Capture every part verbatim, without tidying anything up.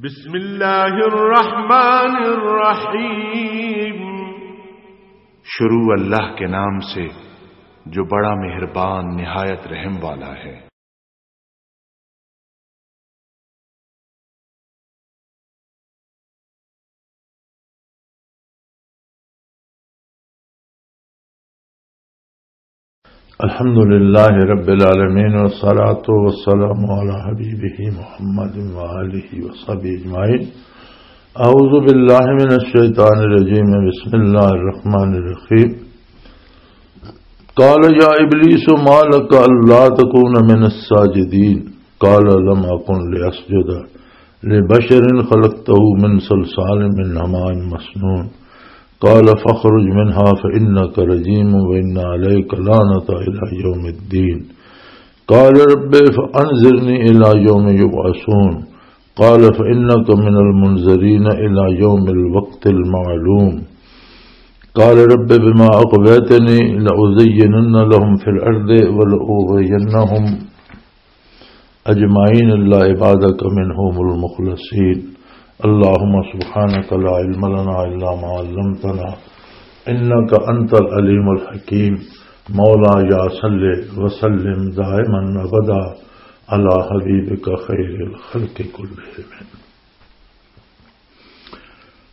بسم اللہ الرحمن الرحیم۔ شروع اللہ کے نام سے جو بڑا مہربان نہایت رحم والا ہے۔ الحمد لله رب العالمين، والصلاة والسلام على حبيبه محمد وآله وصحبه أجمعين. أعوذ بالله من الشيطان الرجيم. بسم الله الرحمن الرحيم. قال يا إبليس ما لك ألا تكون من الساجدين؟ قال لم أكن لأسجد لبشر خلقته من صلصال من حماء مسنون. قال فاخرج منها فإنك رجيم وإن عليك لعنة إلى يوم الدين. قال رب فأنظرني إلى يوم يبعثون. قال فإنك من المنظرين إلى يوم الوقت المعلوم. قال رب بما أغويتني لأزينن لهم في الأرض ولأغوينهم أجمعين إلا عبادك منهم المخلصين. اللهم سبحانك لا علم لنا إلا ما علمتنا إنك أنت العليم الحكيم. مولاي صل وسلم دائما أبدا على حبيبك خير الخلق كلهم.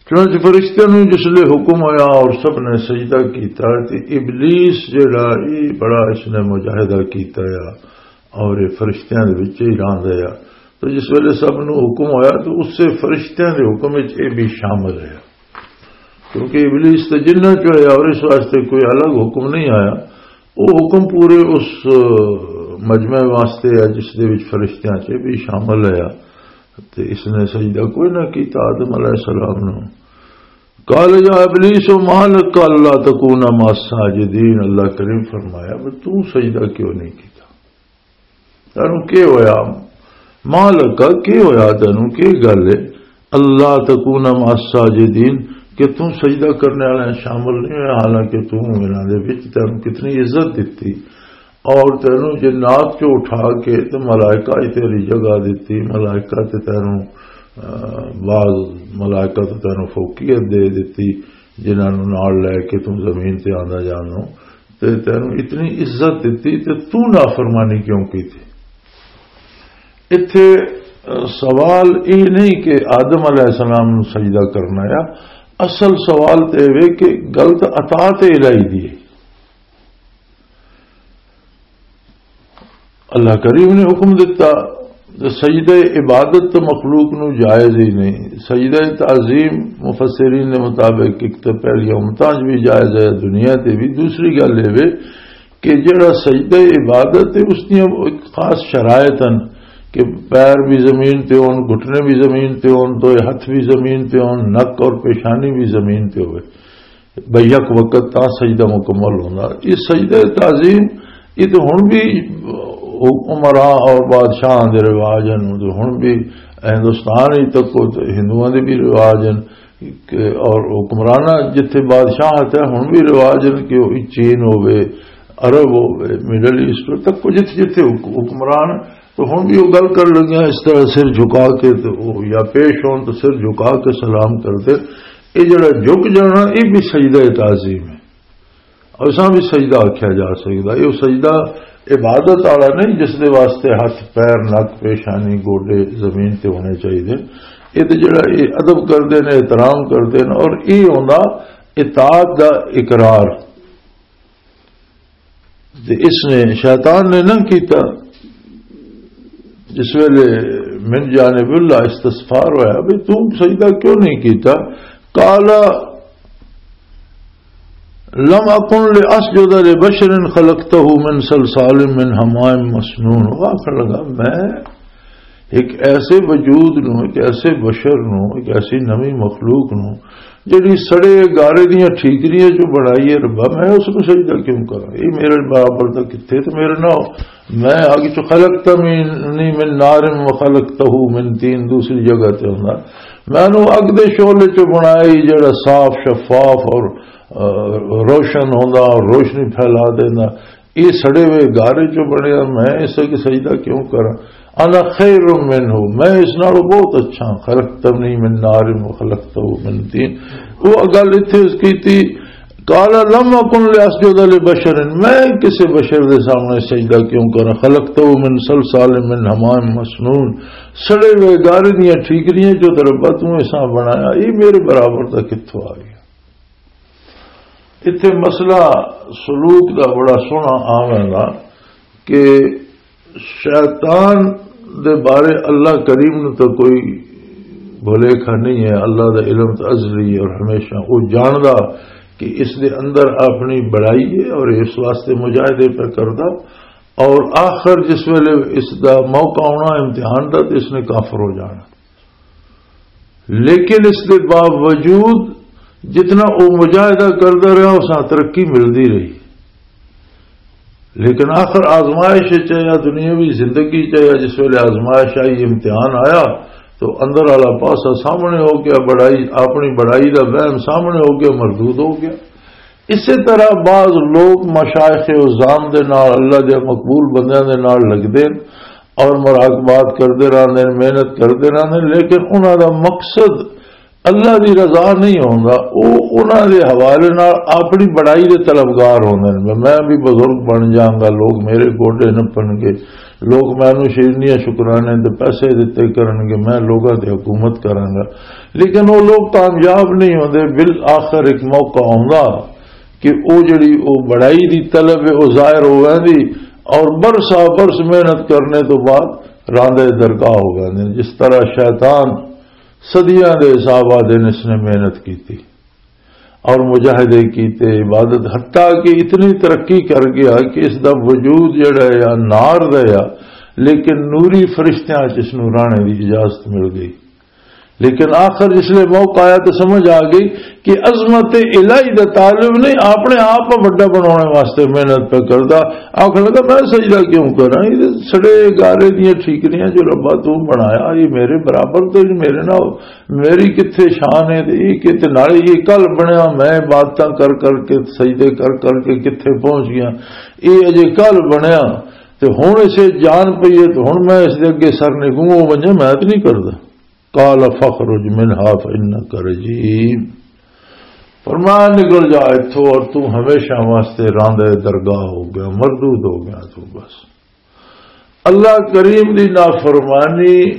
چنانچہ فرشتیاں نوں جس لے حکم ہویا اور سب نے سجدہ کیتا، تے ابلیس جڑا، ای بڑا اس نے مجاہدہ کیتا یا، اور یہ فرشتیاں دے وچ ہی رہندا یا۔ تو جس ویلے سب نوں حکم ہویا، تو اس سے فرشتیاں دے حکم وچ یہ بھی شامل ہے، کیونکہ ابلیس تے جنہاں چ ہویا اور اس واسطے کوئی الگ حکم نہیں آیا۔ وہ حکم پورے اس، آ، مجمع واسطے ہے جس دے وچ فرشتیاں چ بھی شامل ہے۔ تے اس نے سجدہ کوئی نہ کیتا آدم علیہ السلام نو۔ قال یا ابلیس ما لک الا تکون مع الساجدین، اللہ کریم فرمایا، "بھئی تو سجدہ کیوں نہیں کیتا؟ تینوں کی ہویا؟ ما لک، کی ہویا تینوں؟ کی گل ہے؟ اللہ تکون مع الساجدین، کہ تو سجدہ کرنے والے شامل نہیں ہویا، حالانکہ تو انہاں دے وچ، تینوں کتنی عزت دتی، اور تینوں جنات چوں اٹھا کے تے ملائکہ وچ تیری جگہ دتی، ملائکہ تے تینوں، آ، بعض ملائکہ تے تینوں فوقیت دے دتی، جنہاں نوں نال لے کے تو زمین تے آندا جانو، تے تینوں اتنی عزت دتی تے تو نافرمانی کیوں کیتی؟" ایتھے، آ، سوال یہ نہیں کہ آدم علیہ السلام نوں سجدہ کرنا یا، اصل سوال تے یہ کہ غلط اطاعت الہی دی ہے۔ اللہ کریم نے حکم دتا، تے سجدہ عبادت تو مخلوق نو جائز ہی نہیں۔ سجدہ تعظیم مفسرین دے مطابق ایک تو پہلی امتاں وچ بھی جائز ہے، دنیا تے بھی۔ دوسری گل یہ وے کہ جڑا سجدہ عبادت ہے، اس دیاں ایک خاص شرائط ہیں کہ پیر بھی زمین تے ہون، گھٹنے بھی زمین تے ہون، دوئے ہتھ بھی زمین تے ہون، نک اور پیشانی بھی زمین تے ہوئے۔ بھئی یک وقت تاں سجدہ مکمل ہوندا۔ یہ سجدہ تعظیم، یہ تو ہن بھی امراء اور بادشاہاں دے رواج ہیں، تو ہن بھی ہندوستان ہی تک کو تو ہندوؤں دے بھی رواج ہیں کہ، اور حکمرانہ جتھے بادشاہ آتا ہے، ہن بھی رواج ہیں کہ وہ چین ہوے، عرب ہوے، مڈل ایسٹ ہوے، تک کو جتھے جتھے حک-، حکمران تو ہن بھی وہ گل کر لگے ہیں، اس طرح سر جھکا کے تو وہ یا پیش ہون تو سر جھکا کے سلام کرتے۔ یہ جڑا جھک جانا، یہ بھی سجدہ تعظیم ہے، اور اساں بھی سجدہ آکھیا جا سکدا۔ یہ سجدہ عبادت والا نہیں جس دے واسطے ہاتھ، پیر، نک، پیشانی، گوڈے زمین تے ہونے چاہیے۔ یہ تے جڑا یہ ادب کردے نے، احترام کردے نے، اور یہ ہوندا اطاعت دا اقرار۔ تے اس نے، شیطان نے نہ کیتا۔ جس ویلے من جانب اللہ استغفار ہویا، "بھئی تو سجدہ کیوں نہیں کیتا؟" قال لم اکن لاسجد لبشر خلقته من صلصال من حماء مسنون۔ وہ آخر لگا، میں ایک ایسے وجود نو، ایک ایسے بشر نو، ایک ایسی نوی مخلوق نو، جڑی سڑے گارے دیاں ٹھیکریاں جو بنائی ہے ربا، میں اس نو سجدہ کیوں کراں؟ یہ میرے برابر دا کتھے تے میرے نہ ہو۔ میں اگ چ، خلقتنی من نار و خلقتہ من طین، دوسری جگہ تے ہوندا، میں نو اگ دے شعلے چ بنایا ہی جڑا صاف شفاف اور، آ، روشن ہوندا اور روشنی پھیلا دیندا۔ یہ سڑے ہوئے گارے چوں بنیا، میں اس اگے سجدہ کیوں کراں؟ انا خیر منہ، میں اس نالوں بہت اچھا ہاں، خلقتنی من نار و خلقتہ من طین۔ وہ گل اتھے اس کی تھی، قال لم اکن لاسجد لبشر، میں کسی بشر دے سامنے سجدہ کیوں کراں؟ خلقتہ من صلصال من حماء مسنون، سڑے ہوئے گارے دیاں ٹھیکریاں جو تے ربا تو ایسا بنایا، یہ میرے برابر دا کتھوں آ گیا؟ اتھے مسئلہ سلوک دا بڑا سوہنا آویں گا کہ شیطان دے بارے اللہ کریم نو تو کوئی بھلیکھا نہیں ہے۔ اللہ دا علم تو ازلی ہے اور ہمیشہ وہ جاندا کہ اس دے اندر اپنی بڑائی ہے اور اس واسطے مجاہدے پہ کردا، اور آخر جس ویلے اس دا موقع آنا امتحان دا، تو اس نے کافر ہو جانا۔ لیکن اس دے باوجود جتنا وہ مجاہدہ کردا رہا، اس نال ترقی ملدی رہی۔ لیکن آخر آزمائش چ یا دنیاوی زندگی چ یا جس ویلے آزمائش آئی، امتحان آیا، تو اندر والا پاسا سامنے ہو گیا، بڑائی، اپنی بڑائی دا وہم سامنے ہو گیا، مردود ہو گیا۔ اسی طرح بعض لوگ مشائخ عظام دے نال، اللہ دے مقبول بندیاں دے نال لگدے نے اور مراقبات کردے رہندے نے، محنت کردے رہندے نے، لیکن انہاں دا مقصد اللہ دی رضا نہیں ہوندا۔ او انہاں دے حوالے نال اپنی بڑائی دے طلبگار ہوندے نے، میں بھی بزرگ بن جاؤں گا، لوگ میرے گوڈے نپن گے، لوگ مینوں شیرنیاں شکرانے تے پیسے دتے کرن گے، میں لوگاں تے حکومت کراں گا۔ لیکن وہ لوگ کامیاب نہیں ہوندے۔ بالآخر ایک موقع آوندا کہ او جڑی او بڑائی دی طلب ہے، او ظاہر ہو ویندی، اور برسا برس محنت کرنے تو بعد راندے درگاہ ہو ویندے۔ جس طرح شیطان صدیاں دے حساب آ دن اس نے محنت کیتی اور مجاہدے کیتے، عبادت، حتیٰ کہ اتنی ترقی کر گیا کہ اس دا وجود جڑا ہے یا نار دا ہے، لیکن نوری فرشتیاں چ اس نوں رانے دی اجازت مل گئی۔ لیکن آخر جس لئے موقع آیا تو سمجھ آ گئی کہ عظمت الہی دا طالب نہیں، اپنے آپ کو وڈا بنانے واسطے محنت پہ کردا۔ آخر لگا، میں سجدہ کیوں کراں؟ یہ سڑے گارے دیاں ٹھیکریاں جو ربا تو بنایا، یہ میرے برابر تو نہیں، میرے نال، میری کتھے شان ہے؟ تے یہ کتھے، نالے یہ کل بنیا، میں عبادتاں کر کر کے، سجدے کر کر کے کتھے پہنچ گیا، یہ اجے کل بنیا۔ تے ہن اسے جان پئی ہے، تے ہن میں اس دے اگے سر نگوں، وہ ونجے، میں تے نہیں کردا۔ قال فاخرج منها فإنك رجيم۔ فرمایا، نکل جا اتھوں اور تو ہمیشہ واسطے راندے درگاہ ہو گیا، مردود ہو گیا تو بس۔ اللہ کریم دی نافرمانی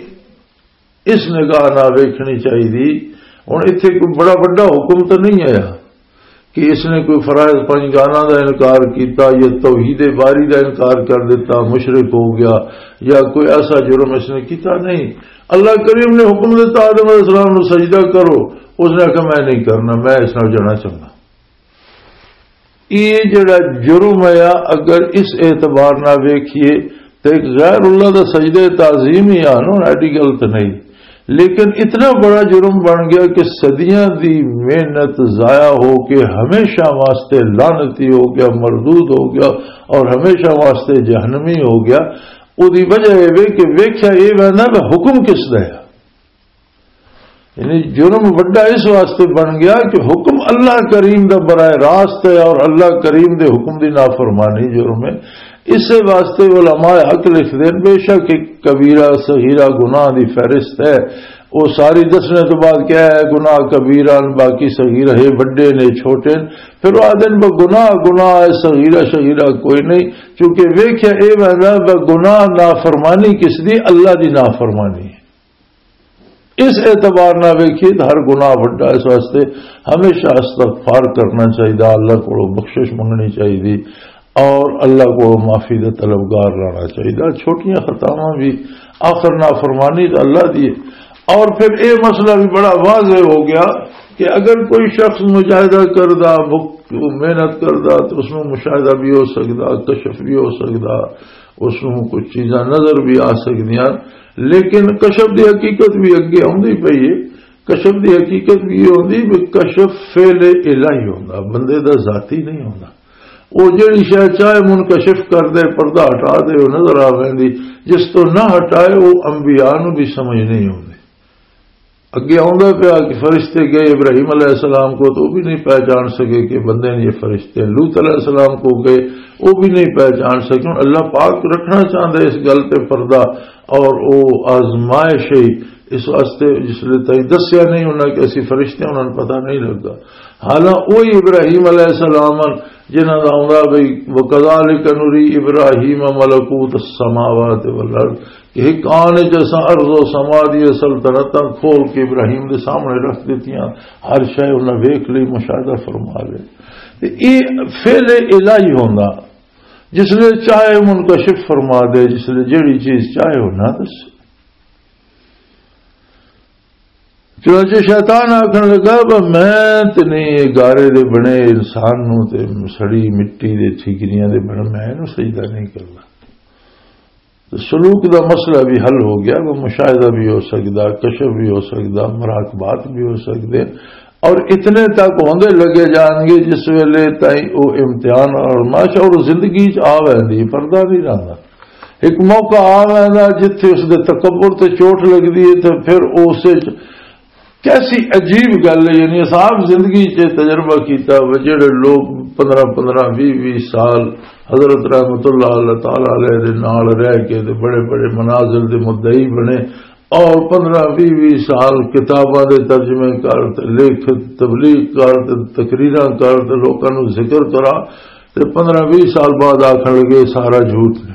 اس نگاہ نہ ویکھنی چاہیے۔ ہن ایتھے کوئی بڑا وڈا حکم تو نہیں آیا کہ اس نے کوئی فرائض پنج گانا دا انکار کیتا یا توحید باری دا انکار کر دیتا، مشرک ہو گیا، یا کوئی ایسا جرم اس نے کیتا نہیں۔ اللہ کریم نے حکم دیتا، آدم علیہ السلام نو سجدہ کرو، اس نے کہا، میں نہیں کرنا، میں اس نال جانا چاہنا۔ یہ جڑا جرم ہے، اگر اس اعتبار نہ ویکھیے تو ایک غیر اللہ دا سجدہ تعظیم ہی آ نا، ایڈی غلط نہیں۔ لیکن اتنا بڑا جرم بن گیا کہ صدیاں دی محنت ضائع ہو کے ہمیشہ واسطے لعنتی ہو گیا، مردود ہو گیا اور ہمیشہ واسطے جہنمی ہو گیا۔ او دی وجہ یہ وے کہ ویکھیا یہ ویندا کہ حکم کس دا ہے۔ یعنی جرم وڈا اس واسطے بن گیا کہ حکم اللہ کریم دا براہ راست ہے اور اللہ کریم دے حکم دی نافرمانی جرم ہے۔ اسے واسطے علماء حق لکھ دین، بے شک ایک کبیرہ صغیرہ گناہ دی فہرست ہے۔ وہ ساری دسنے تو بعد کیا ہے، گناہ کبیرہ، باقی صغیرہ ہے، وڈے نے، چھوٹے نے۔ پھر وہ آدھے نے، "بس گناہ، گناہ ہے، صغیرہ، صغیرہ کوئی نہیں۔" چونکہ ویکھیا اے ویندا، بس گناہ نافرمانی کس دی؟ اللہ دی نافرمانی ہے۔ اس اعتبار نہ ویکھیے تو ہر گناہ وڈا، اس واسطے ہمیشہ استغفار کرنا چاہیے، اللہ کو بخشش منگنی چاہیے اور اللہ کو معافی دے طلبگار رہنا چاہیے۔ چھوٹیاں خطاواں بھی، آخر نافرمانی تو اللہ دی ہے۔ اور پھر یہ مسئلہ بھی بڑا واضح ہو گیا کہ اگر کوئی شخص مجاہدہ کردا، بک-، محنت کردا تو اس میں مشاہدہ بھی ہو سکدا، کشف بھی ہو سکدا، اس نوں کچھ چیزاں نظر بھی آ سکدیاں، لیکن کشف دی حقیقت بھی اگے آندی پئی ہے۔ کشف دی حقیقت بھی یہ ہوندی بھی کشف فعل الہی ہوندا، بندے دا ذاتی نہیں ہوندا۔ وہ جڑی شے چاہے منکشف کر دے، پردہ ہٹا دے، وہ نظر آ ویندی، جس تو نہ ہٹائے، وہ انبیاء نوں بھی سمجھ نہیں ہوندی۔ اگے آندا پیا کہ فرشتے گئے ابراہیم علیہ السلام کو، تو وہ بھی نہیں پہچان سکے کہ بندے نے یہ فرشتے ہیں۔ لوط علیہ السلام کو گئے، وہ بھی نہیں پہچان سکے۔ ہن اللہ پاک رکھنا چاہتا ہے اس گل تے پردہ، اور وہ آزمائش ہے۔ اس واسطے جس لے تائیں دسیا نہیں انہاں کہ اسی فرشتے، انہاں نوں پتہ نہیں لگا۔ حالانکہ وہی ابراہیم علیہ السلام ہن جنہاں دا آندا بھئی، "وَكَذَلِكَ نُرِي إِبْرَاهِيمَ مَلَكُوتَ السَّمَاوَاتِ وَالْأَرْضِ"، کہ ایک آنے جیسا ارض و سما دی سلطنتاں کھول کے ابراہیم دے سامنے رکھ دتیاں۔ ہر شے انہاں ویکھ لئی، مشاہدہ فرما لے۔ تے اے فعل الہی ہوندا، جس لے چاہے منکشف فرما دے، جس لے جیڑی چیز چاہے وہ نہ دسے۔ چنانچہ شیطان آکھن لگا، "بس میں تے نہیں، یہ گارے دے بنے انسان نوں تے سڑی مٹی دے ٹھیکریاں دے بنے، میں اینوں سجدہ نہیں کرنا۔" تو سلوک دا مسئلہ بھی حل ہو گیا، وہ مشاہدہ بھی ہو سکدا، کشف بھی ہو سکدا، مراقبات بھی ہو سکدے، اور اتنے تک ہوندے لگے جان گے جس ویلے تائیں او امتحان اور آزمائش اور زندگی چ آ ویندی، پردہ نہیں رہندا۔ ایک موقع آ ویندا جتھے اس دے تکبر تے چوٹ لگدی ہے، تے پھر اس وچ کیسی عجیب گل ہے۔ یعنی اساں آپ زندگی چ تجربہ کیتا ہوئے، جڑے لوگ پندرہ پندرہ، ویہہ ویہہ سال حضرت رحمت اللہ اللہ تعالی علیہ دے نال رہ کے تے بڑے بڑے منازل دے مدعی بنے، اور پندرہ ویہہ ویہہ سال کتاباں دے ترجمے کر تے لکھ، تبلیغ کر تے تقریراں کر تے لوکاں نوں ذکر کرا، تے پندرہ ویہہ سال بعد آکھن لگے، "سارا جھوٹ نے۔"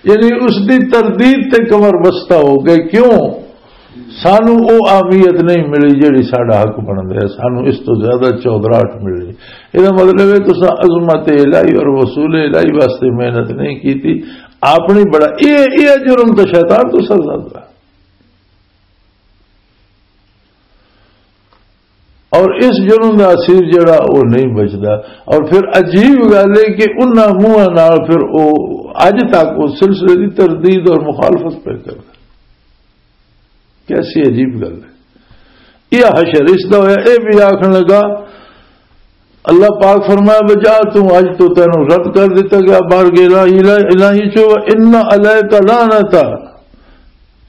یعنی اس دی تردید تے کمر بستہ ہو گئے۔ کیوں؟ سانو او اہمیت نہیں ملی جڑی ساڈا حق بندا ہے۔ سانو اس تو زیادہ چودراہٹ ملی۔ یہ مطلب ہے، تساں عظمت الہی اور وصول الہی واسطے محنت نہیں کیتی، اپنی بڑا، اے، اے جرم تو شیطان تو سر زیادہ۔ اور اس جرم دا اسیر جڑا، او نہیں بچدا۔ اور پھر عجیب گل ہے کہ انہاں منہاں نال پھر او اج تک اس سلسلے دی تردید اور مخالفت پہ کردا۔ کیسی عجیب گل ہے۔ یہ حشر اس دا ہویا، اے بھی آکھن لگا، اللہ پاک فرمایا، "بجا تو اج تو تینوں رد کر دتا گیا، باہر گیا الہی، الہی چو، ان علیک لعنت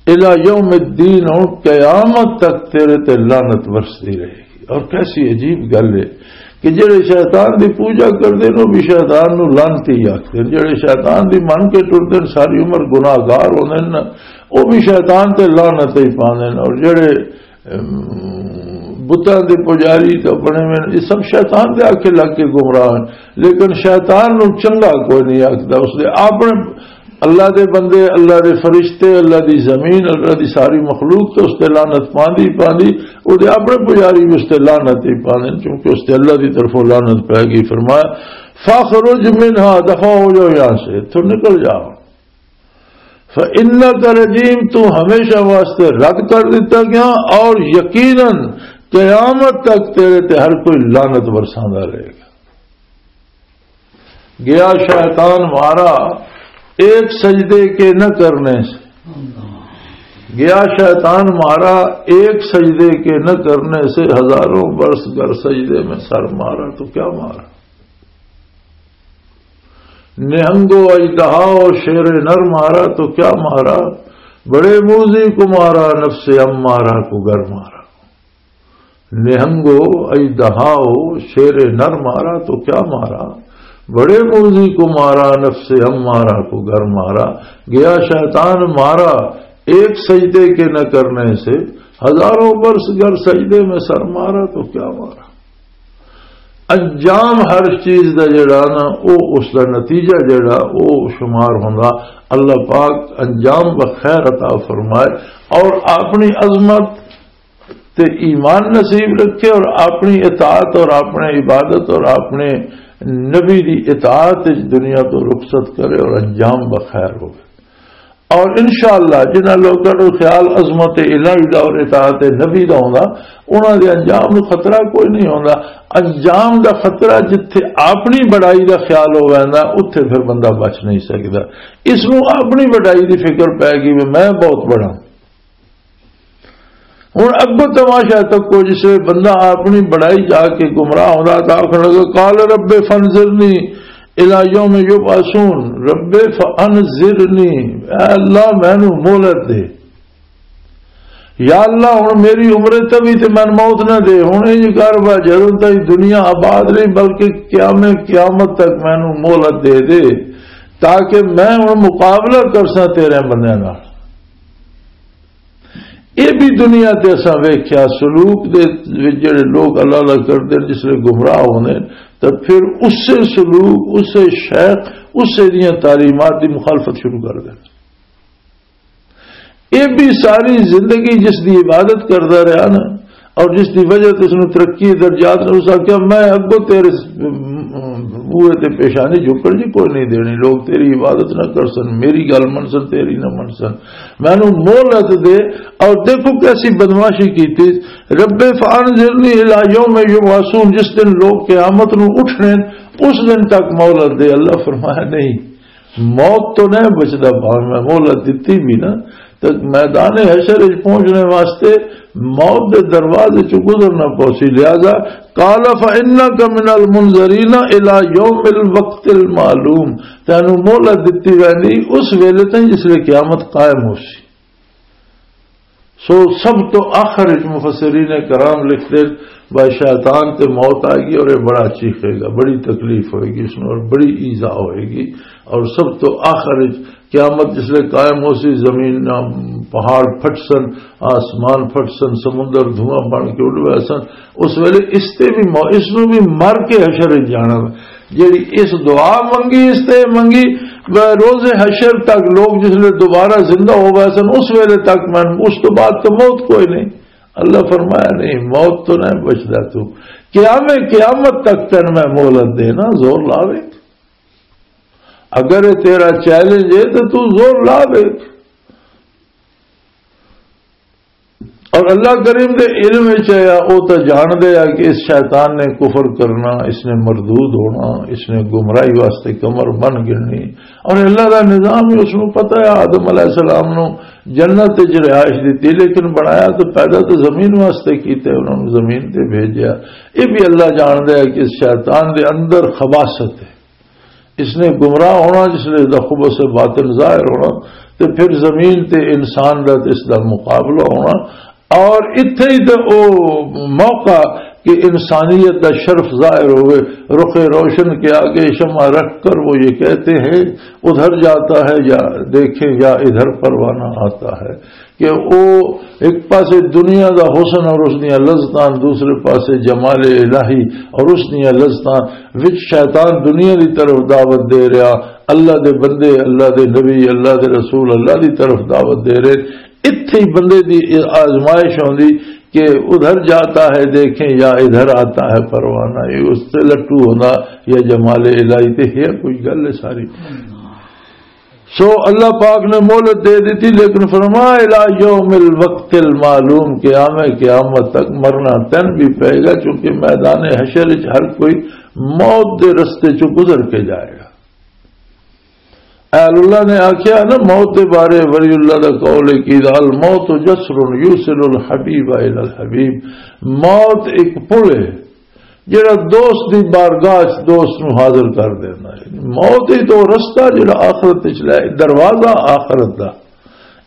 الی یوم الدین"، ہن قیامت تک تیرے تے لعنت برسدی رہے گی۔ اور کیسی عجیب گل ہے کہ جڑے شیطان دی پوجا کردے نے، وہ بھی شیطان نو لعنتی آکھدے نے، جڑے شیطان دی من کے ٹردے نے، ساری عمر گناہگار ہوندے نے، وہ بھی شیطان تے لعنت ہی پاندے نے۔ اور جڑے ام، بتاں دے پجاری تے بنے ہوئے نے، یہ سب شیطان دے آکھے لگ کے گمراہ ہیں۔ لیکن شیطان نو چنگا کوئی نہیں آکھدا، اس دے اپنے اللہ دے بندے، اللہ دے فرشتے، اللہ دی زمین، اللہ دی ساری مخلوق تے اس تے لعنت پاندی پاندی، او دے اپنے پجاری بھی اس تے لعنت ہی پاندے نے، کیونکہ اس تے اللہ دی طرفوں لعنت پے گئی۔ فرمایا، "فاخرج منها"، دفع ہو جاؤ یہاں سے، تو نکل جاؤ۔ فَإِنَّكَ رَجِيمٌ، تو ہمیشہ واسطے رد کر دتا گیا، اور یقیناً قیامت تک تیرے تے ہر کوئی لعنت برساندا رہے گا۔ گیا شیطان مارا ایک سجدے کے نہ کرنے سے، گیا شیطان مارا ایک سجدے کے نہ کرنے سے، ہزاروں برس گر سجدے میں سر مارا تو کیا مارا؟ نہنگو اژدہا و شیر نر مارا تو کیا مارا؟ بڑے موزی کو مارا، نفس امارہ کو گر مارا۔ نہنگو اژدہا و شیر نر مارا تو کیا مارا؟ بڑے موزی کو مارا، نفس امارہ کو گر مارا۔ گیا شیطان مارا ایک سجدے کے نہ کرنے سے، ہزاروں برس گر سجدے میں سر مارا تو کیا مارا؟ انجام ہر چیز دا جڑا نا، او اس دا نتیجہ جڑا، او شمار ہوندا۔ اللہ پاک انجام بخیر عطا فرمائے اور اپنی عظمت تے ایمان نصیب رکھے اور اپنی اطاعت اور اپنے عبادت اور اپنے نبی دی اطاعت وچ دنیا تو رخصت کرے اور انجام بخیر ہوگا۔ اور انشاءاللہ جنہاں لوگوں نوں خیال عظمت الہی دا اور اطاعت نبی دا ہوندا، انہاں دے انجام نوں خطرہ کوئی نہیں ہوندا۔ انجام دا خطرہ جتھے اپنی بڑائی دا خیال ہو ویندا، اتھے پھر بندہ بچ نہیں سکدا۔ اس نوں اپنی بڑائی دی فکر پے گئی، "میں بہت بڑا۔" ہن اگوں تماشا تکو، جس ویلے بندہ اپنی بڑائی جا کے گمراہ ہوندا، تاں آکھن لگا، "قال رب فانظرنی الی یوم یبعثون، رب فانظرنی، اے اللہ مینوں مہلت دے۔" یا اللہ، ہن میری عمر تے بھی تے مینوں موت نہ دے۔ ہن انج کر، بس جدوں تائیں دنیا آباد نہیں، بلکہ قیام قیامت تک مینوں مہلت دے دے، تاکہ میں ہن مقابلہ کرساں تیرے بندیاں نال۔ یہ بھی دنیا تے اساں ویکھیا، سلوک دے وچ جڑے لوگ اللہ اللہ کردے نے، جس لے گمراہ ہوندے نے، تے پھر اسے سلوک، اسے شیخ، اسے دیاں تعلیمات دی مخالفت شروع کر دے۔ یہ بھی ساری زندگی جس دی عبادت کردا رہا نا، اور جس دی وجہ تے اس نوں ترقی درجات نے، اس آکھیا، "میں اگوں تیرے بوئے تے پیشانی جھکن جی کوئی نہیں دینی، لوگ تیری عبادت نہ کر سن، میری گل من سن، تیری نہ من سن، مینوں مہلت دے۔" اور دیکھو کیسی بدمعاشی کیتی، "رب فانظرنی الی یوم یبعثون"، جس دن لوگ قیامت نوں اٹھنے، اس دن تک مہلت دے۔ اللہ فرمایا، نہیں، موت تو نہیں بچدا، بھاویں میں مہلت دتی بھی نا، تے میدان حشر وچ پہنچنے واسطے موت دے دروازے چوں گزرنا پوسی۔ لہذا قال فانک من المنظرین الی یوم الوقت المعلوم، تینوں مہلت دتی ویندی اس ویلے تائیں جس لے قیامت قائم ہو سی۔ سو سب تو آخر وچ مفسرین کرام لکھتے، بھائی شیطان تے موت آئے گی اور یہ بڑا چیخے گا، بڑی تکلیف ہوئے گی اس میں اور بڑی ایذا ہوئے گی۔ اور سب تو آخر وچ قیامت جس لے قائم ہو سی، زمین، پہاڑ پھٹ سن، آسمان پھٹ سن، سمندر دھواں بن کے اڈ گئے سن، اس ویلے اس تے بھی مو-، اس نوں بھی مر کے حشر وچ جانا۔ جیڑی اس دعا منگی، اس تے منگی، روز حشر تک لوگ جس لے دوبارہ زندہ ہو گئے سن، اس ویلے تک میں، اس تو بعد تو موت کوئی نہیں۔ اللہ فرمایا، نہیں، موت تو نہیں بچدا تو۔ قیام قیامت تک تین میں مہلت دینا، زور لاوے۔ اگر یہ تیرا چیلنج ہے تو تو زور لاوے۔ اور اللہ کریم دے علم وچ ہے، او تے جان دے آ کہ اس شیطان نے کفر کرنا، اس نے مردود ہونا، اس نے گمراہی واسطے کمر بن گرنی۔ اور اللہ دا نظام ہی اس نوں پتہ ہے، آدم علیہ السلام نوں جنت وچ رہائش دتی، لیکن بنایا تو پیدا تو زمین واسطے کیتے، انہاں نوں زمین تے بھیجیا۔ یہ بھی اللہ جان دے آ کہ اس شیطان دے اندر خباثت ہے۔ اس نے گمراہ ہونا، جس لے دا خبث باطن ظاہر ہونا، تے پھر زمین تے انسان دا تے اس دا مقابلہ ہونا۔ اور اتھے ہی تے او موقع کہ انسانیت دا شرف ظاہر ہوئے، رخ روشن کے آگے شمع رکھ کر وہ یہ کہتے ہیں، ادھر جاتا ہے یا دیکھیں یا ادھر پروانہ آتا ہے۔ کہ او ایک پاسے دنیا دا حسن اور اس دیاں لذتاں، دوسرے پاسے جمال الہی اور اس دیاں لذتاں وچ شیطان دنیا دی طرف دعوت دے رہا، اللہ دے بندے، اللہ دے نبی، اللہ دے رسول اللہ دی طرف دعوت دے رہے۔ اتھے ہی بندے دی آزمائش ہوندی کہ ادھر جاتا ہے دیکھیں یا ادھر آتا ہے پروانہ، یہ اس سے لٹو ہونا یا جمال الہی تے ہے کوئی گل ہے ساری۔ سو اللہ پاک نے مہلت دے دی تھی، لیکن فرمایا، "الی یوم الوقت المعلوم"، قیام قیامت تک مرنا تن بھی پائے گا، چونکہ میدان حشر وچ ہر کوئی موت دے رستے چوں گزر کے جائے گا۔ اہل اللہ نے آکھیا نا، موت دے بارے ولی اللہ دا قول ہے کہ "الموت جسر یوصل الحبیب الی الحبیب"، موت ایک پل ہے جڑا دوست دی بارگاہ چ دوست نو حاضر کر دینا ہے۔ موت ہی تو رستہ جڑا آخرت وچ لے، دروازہ آخرت دا۔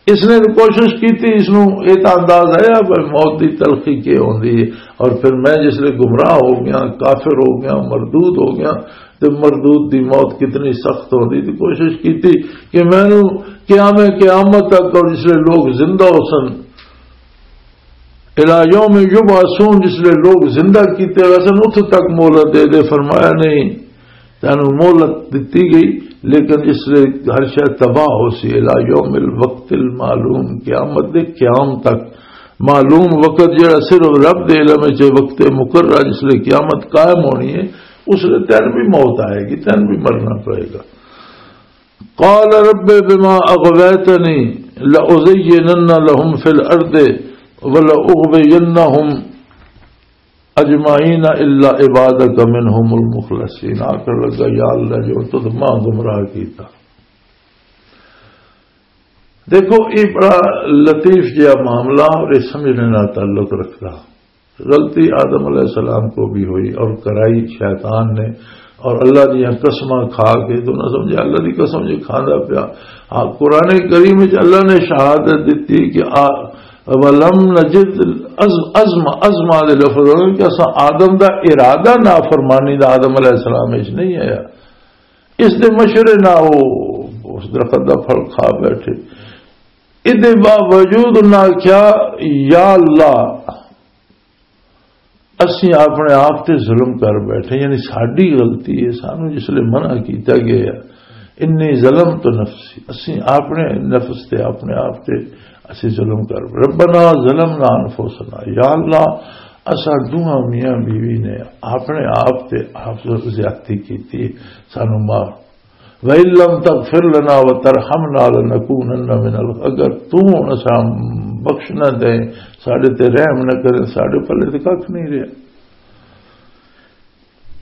اس نے کوشش کی تھی، اس نو یہ تو انداز آیا پر موت دی تلخی کی ہوندی ہے۔ اور پھر میں جس لے گمراہ ہو گیا، کافر ہو گیا، مردود ہو گیا، تو مردود دی موت کتنی سخت ہوندی تھی۔ کوشش کی تھی کہ میں نو قیام قیامت تک اور جس لے لوگ زندہ ہو سن، الی یوم یبعثون، جس لے لوگ زندہ کیتے گئے سن، اتھ تک مہلت دے دے۔ فرمایا، نہیں، تینوں مہلت دتی گئی، لیکن جس لے ہر شے تباہ ہو سی، الی یوم الوقت المعلوم، قیامت دے قیام تک۔ معلوم وقت جڑا صرف رب دے علم وچ ہے، وقت مقررہ جس لے قیامت قائم ہونی ہے، اس لے تین بھی موت آئے گی، تین بھی مرنا پڑے گا۔ قال رب بما اغویتنی لازینن لهم فی الارض ولاغوینهم اجمعین الا عبادک منهم المخلصین۔ آخر لگا، یا اللہ، جو تد ماں گمراہ کیتا۔ دیکھو، یہ بڑا لطیف جہا معاملہ اور یہ سمجھنے نال تعلق رکھتا۔ غلطی آدم علیہ السلام کو بھی ہوئی اور کرائی شیطان نے، اور اللہ دیاں قسماں کھا کے، تو نہ سمجھے اللہ دی قسم جو کھاندا پیا۔ ہاں، قرآن کریم وچ اللہ نے شہادت دتی کہ آ، وَلَمْ نَجِدْ عَزْمَ، عَزْمَ، عَزْمَ دے لفظ ہونے کہ اساں آدم دا ارادہ نافرمانی دا آدم علیہ السلام وچ نہیں آیا۔ اس دے مشورے نہ وہ اس درخت دا پھل کھا بیٹھے۔ اس دے باوجود انہاں آکھیا، یا اللہ، اسیں اپنے آپ تے ظلم کر بیٹھے، یعنی ساڈی غلطی ہے، سانو جس لئے منع کیتا گیا ہے، انی ظلمت نفسی، اسیں اپنے نفس تے، اپنے آپ تے اسیں ظلم کر، ربنا ظلمنا انفسنا، یا اللہ، اساں دوہاں میاں بیوی نے اپنے آپ تے آپ زیادتی کیتی ہے، سانو معاف۔ وَإِن لَّمْ تَغْفِرْ لَنَا وَتَرْحَمْنَا لَنَكُونَنَّ مِنَ الْخَاسِرِينَ، اگر تو ہن اساں بخش نہ دے، ساڈے تے رحم نہ کرے، ساڈے پلے تے ککھ نہیں رہیا۔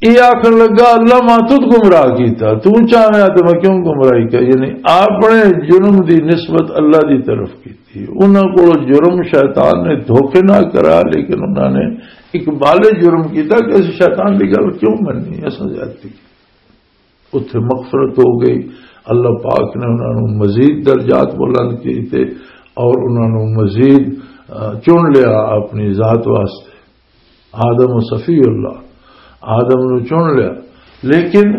یہ آخر لگا، اللہ، میں تد گمراہ کیتا، تو چاہویں تے میں کیوں گمراہی کر؟ یعنی اپنے جرم دی نسبت اللہ دی طرف کیتی۔ انہاں کول جرم شیطان نے دھوکے نہ کرا، لیکن انہاں نے اقبال جرم کیتا کہ اس شیطان دی گل کیوں مننی، اساں زیادتی کی۔ اتھے مغفرت ہو گئی، اللہ پاک نے انہاں نوں مزید درجات بلند کیتے اور انہاں نوں مزید، آ، چن لیا اپنی ذات واسطے۔ آدم و صفی اللہ، آدم نوں چن لیا، لیکن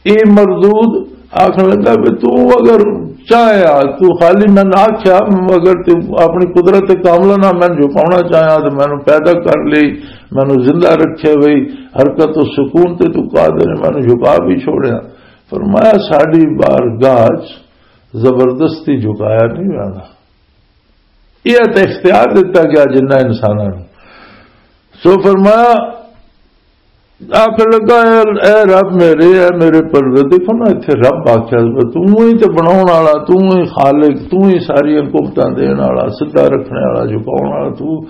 اے مردود آکھن لگا بھی تو اگر چاہیا، تو خالی میں آکھیا، اگر تو اپنی قدرت کاملہ نہ میں جھکاونا چاہیا تو میں پیدا کر لی، میں زندہ رکھے ہوئی، حرکت و سکون تے تو قادر ہے، میں جھکا بھی چھوڑیا۔ فرمایا، ساڈی بارگاہ چ زبردستی جھکایا نہیں جانا۔ یہ تے اختیار دتا گیا جنہ انساناں نوں۔ سو فرمایا، آخر لگا، اے، اے رب میرے، اے میرے پروردگار، دیکھو نا، اتھے رب آکھیا، تو ہی تے بناون والا، تو ہی خالق، تو ہی ساری حکومتاں دین والا، سدھا رکھنے والا، جھکاون والا، تو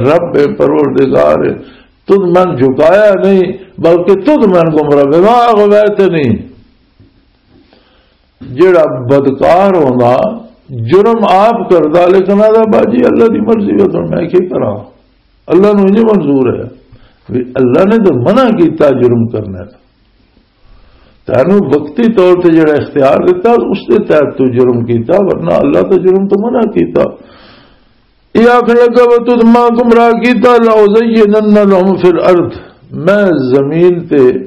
رب ہے، پروردگار ہے۔ تد میں جھکایا نہیں، بلکہ تد میں گمراہ، بما اغویتنی۔ جڑا بدکار ہوندا، جرم آپ کردا، لیکن آہدا، "باجی، اللہ دی مرضی ہے، تو میں کی کراں؟ اللہ نوں نہیں منظور ہے۔" بھی اللہ نے تو منع کیتا جرم کرنے دا۔ تینوں وقتی طور تے جڑا اختیار دتا، اس دے تحت تو جرم کیتا، ورنہ اللہ تو جرم تو منع کیتا۔ یہ آخر لگا، "وہ تد ماں گمراہ کیتا، لَأُزَيِّنَنَّ لَهُمْ فِي الْأَرْضِ۔" میں زمین تے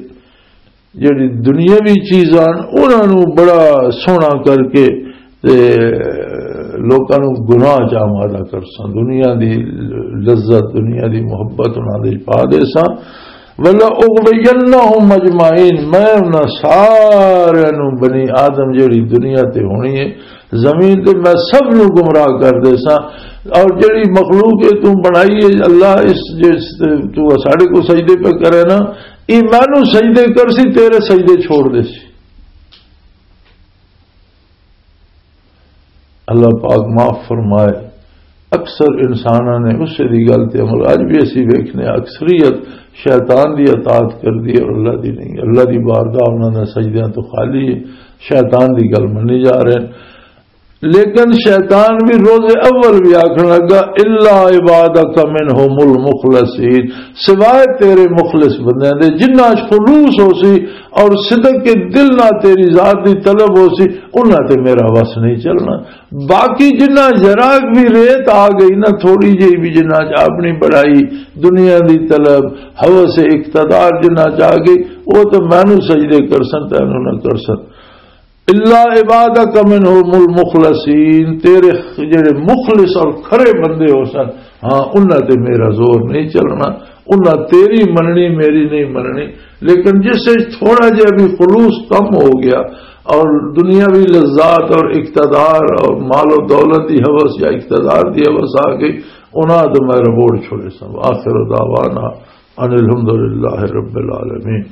جڑی دنیاوی چیزاں انہاں نوں بڑا سوہنا کر کے تے لوکاں نوں گناہ چ آمادہ کرساں، دنیا دی لذت، دنیا دی محبت انہاں دے پا دیساں۔ "وَلَأُغْوِيَنَّهُمْ أَجْمَعِينَ"، میں انہاں سارے نوں، بنی آدم جڑی دنیا تے ہونی ہے، زمین تے میں سب نوں گمراہ کر دیساں۔ اور جڑی مخلوق ہے تو بنائی ہے اللہ، اس جس تو ساڈے کو سجدے پہ کرے نا، یہ مینوں سجدے کر سی، تیرے سجدے چھوڑ دے سی۔ اللہ پاک معاف فرمائے۔ اکثر انساناں نے اسے دی گل تے عمل، اج بھی اسی ویکھنے، اکثریت شیطان دی اطاعت کر دی اور اللہ دی نہیں۔ اللہ دی بارگاہ انہاں دے سجدیاں تو خالی ہے، شیطان دی گل منی جا رہے ہیں۔ لیکن شیطان بھی روز اول بھی آکھن لگا، "الا عبادک منہم المخلصین"، سوائے تیرے مخلص بندیاں دے، جنہاں اچ خلوص ہو سی اور صدق کے دل نہ تیری ذات دی طلب ہو سی، انہاں تے میرا وس نہیں چلنا۔ باقی جنہاں ذرا بھی ریت آ گئی نا، تھوڑی جہی بھی، جنہاں اچ اپنی بڑائی، دنیا دی طلب، ہوس اقتدار جنہاں اچ آ گئی، وہ تو مینوں سجدے کر سن، تینوں نہ کر سن۔ الا عبادک منہم المخلصین، تیرے جڑے مخلص اور کھرے بندے ہو سن، ہاں، انہاں تے میرا زور نہیں چلنا، انہاں تیری مننی، میری نہیں مننی۔ لیکن جس وچ تھوڑا جہا بھی خلوص کم ہو گیا اور دنیاوی لذات اور اقتدار اور مال و دولت دی ہوس یا اقتدار دی ہوس آ گئی، انہاں تے میں ربوڑ چھوڑے سن۔ آخر دعوانا ان الحمدللہ رب العالمین۔